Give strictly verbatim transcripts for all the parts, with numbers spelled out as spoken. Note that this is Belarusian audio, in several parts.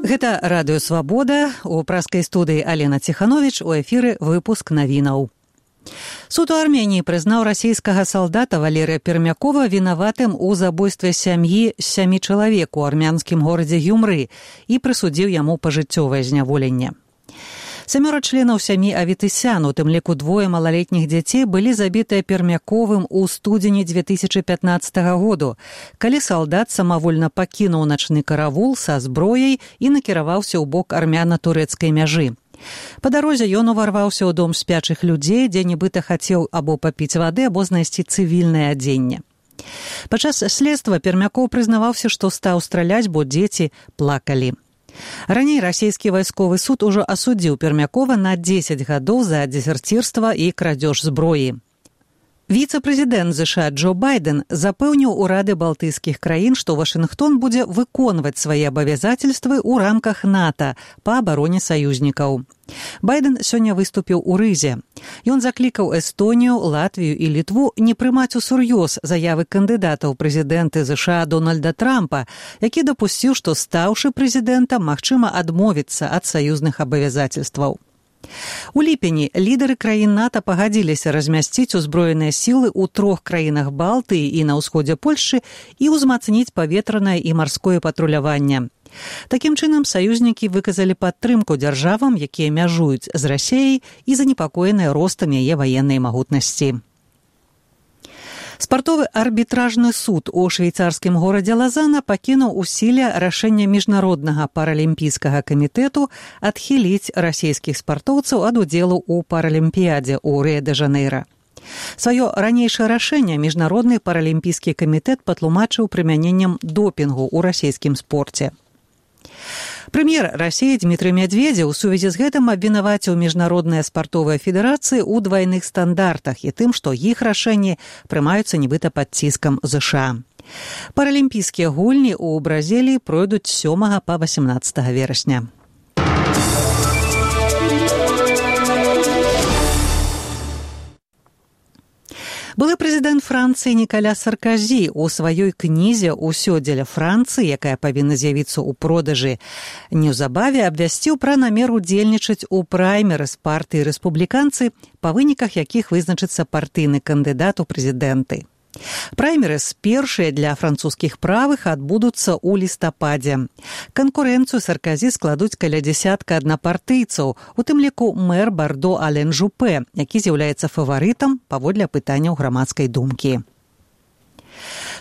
Гэта радыё «Свабода», у праскай студыі Алена Ціхановіч, у эфіры выпуск навінаў. Суд у Арменіі прызнаў расійскага салдата Валерыя Пермякова вінаватым у забойстве сям'і з сямі чалавек у армянскім горадзе Гюмры і прысудзіў яму пажыццёвае зняволенне. Сямёра членаў сям'і Аветысян, у тым ліку двое малалетніх дзяцей, былі забітыя Пермяковым у студзені дзве тысячы пятнаццатага году, калі салдат самавольна пакінуў начны каравул са зброяй і накіраваўся ў бок армяна-турэцкай мяжы. Па дарозе ён уварваўся ў дом спячых людзей, дзе нібыта хацеў або папіць вады, або знайсці цывільнае адзенне. Падчас следства Пермякоў прызнаваўся, што стаў страляць, бо дзеці плакалі. Раней расійскі вайсковы суд ужо асудзіў Пермякова на дзесяць гадоў за дзезерцірства і крадзеж зброі. Віцэ-прэзідэнт ЗША Джо Байден запэўніў урады балтыйскіх краін, што Вашынгтон будзе выконваць свае абавязательствы ў рамках НАТО па абароне саюзнікаў. Байден сёння выступіў у Рызе. Ён заклікаў Эстонію, Латвію і Літву не прымаць усур'ёз заявы кандыдата ў прэзідэнты ЗША Дональда Трампа, які дапусціў, што стаўшы прэзідэнтам, магчыма адмовіцца ад саюзных абавязательстваў. У ліпені лідары краін НАТО пагадзіліся размясціць узброеныя сілы ў трох краінах Балтыі і на ўсходзе Польшчы і ўзмацніць паветранае і марское патруляванне. Такім чынам, саюзнікі выказалі падтрымку дзяржавам, якія мяжуюць з Расіяй і занепакоеныя ростам яе ваеннай магутнасці. Спартовы арбітражны суд у швейцарскім горадзе Лазана пакінуў у сіле рашэнне міжнароднага паралімпійскага камітэту адхіліць расійскіх спартоўцаў ад удзелу ў паралімпіядзе ў Рыа-дэ-Жанэйра. Сваё ранейшае рашэнне міжнародны паралімпійскі камітэт патлумачыў прымяненнем допінгу ў расійскім спорце. Прэм'ер Расіі Дмітрый Медведзеў у сувязі з гэтым абвінаваціў міжнародныя спартовыя федэрацыі ў двайных стандартах і тым, што іх рашэнні прымаюцца нібыта пад ціскам ЗША. Паралімпійскія гульні ў Бразіліі пройдуць з сёмага па васямнаццатага верасня. Былы прэзідэнт Францыі Нікаля Сарказі ў сваёй кнізе «Усё дзеля Францыі», якая павінна з'явіцца ў продажы неўзабаве, абвясціў пра намер удзельнічаць у праймерыз партыі рэспубліканцы, па выніках якіх вызначыцца партыйны кандыдат у прэзідэнты. Праймерыз першыя для французскіх правых адбудуцца ў лістападзе. Канкурэнцыю Сарказі складуць каля дзясятка аднапартыйцаў, у тым ліку мэр Бардо Ален Жупе, які з'яўляецца фаварытам паводле апытанняў грамадскай думкі.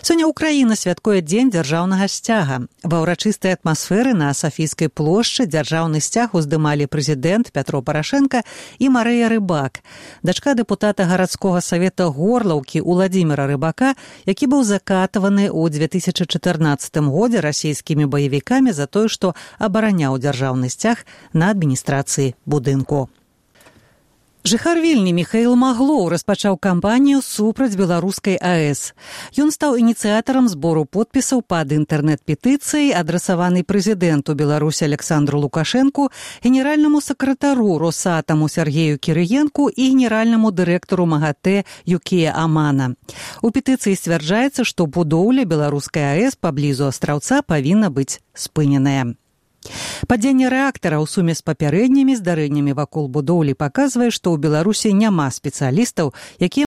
Сёння Украіна святкуе дзень дзяржаўнага сцяга. Ва ўрачыстай атмасферы на Сафійскай плошчы дзяржаўны сцяг уздымалі прэзідэнт Пятро Парашенка і Марыя Рыбак, дачка дэпутата гарадскога савета Горлаўкі Уладзіміра Рыбака, які быў закатаваны ў дзве тысячы чатырнаццатым годзе расійскімі баевікамі за тое, што абараняў дзяржаўны сцяг на адміністрацыі будынку. Жыхар Вільні Міхаіл Маглоў распачаў кампанію супраць беларускай АЭС. Ён стаў ініцыятарам збору подпісаў пад інтэрнэт-петыцыяй, адрасаванай прэзідэнту Беларусі Александру Лукашэнку, генеральнаму сакратару Росатаму Сергею Кірыенку і генеральнаму дырэктару МАГАТЭ Юкія Амана. У петыцыі сцвярджаецца, што будоўля беларускай АЭС паблізу астраўца павінна быць спыненая. Падзенне рэактара ў суме з папярэднімі здарэннямі вакол будоўлі паказвае, што ў Беларусі няма спецыялістаў, якія